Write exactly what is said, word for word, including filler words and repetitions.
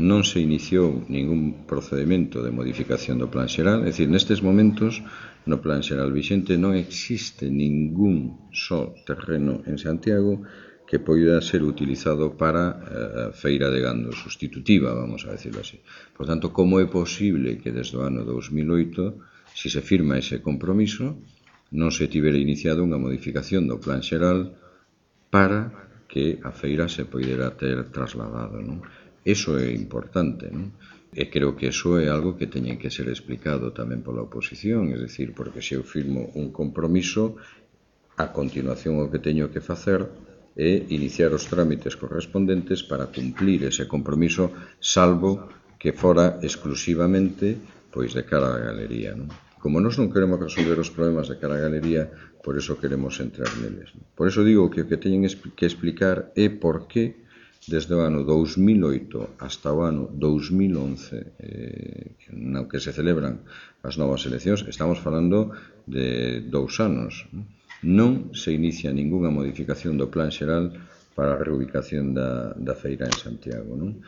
non se iniciou ningún procedimento de modificación do plan xeral, é dicir, nestes momentos no plan xeral vixente non existe ningún só terreno en Santiago que poida ser utilizado para eh, feira de gando sustitutiva, vamos a decirlo así. Por tanto, como é posible que desde o ano dous mil oito, se se firma ese compromiso, non se tivera iniciado unha modificación do plan xeral para que a feira se poidera ter trasladado, non? Eso é importante, non? E creo que eso é algo que teñen que ser explicado tamén pola oposición, é dicir, porque se eu firmo un compromiso, a continuación o que teño que facer é iniciar os trámites correspondentes para cumplir ese compromiso, salvo que fora exclusivamente pois de cara á galería, non? Como nós non queremos resolver os problemas de cara á galería, por eso queremos entrar neles. Por eso digo que o que teñen que explicar é por que desde o ano dous mil oito hasta o ano dous mil once, eh, no que se celebran as novas eleccións, estamos falando de dous anos, non se inicia ningunha modificación do plan xeral para a reubicación da, da feira en Santiago, non?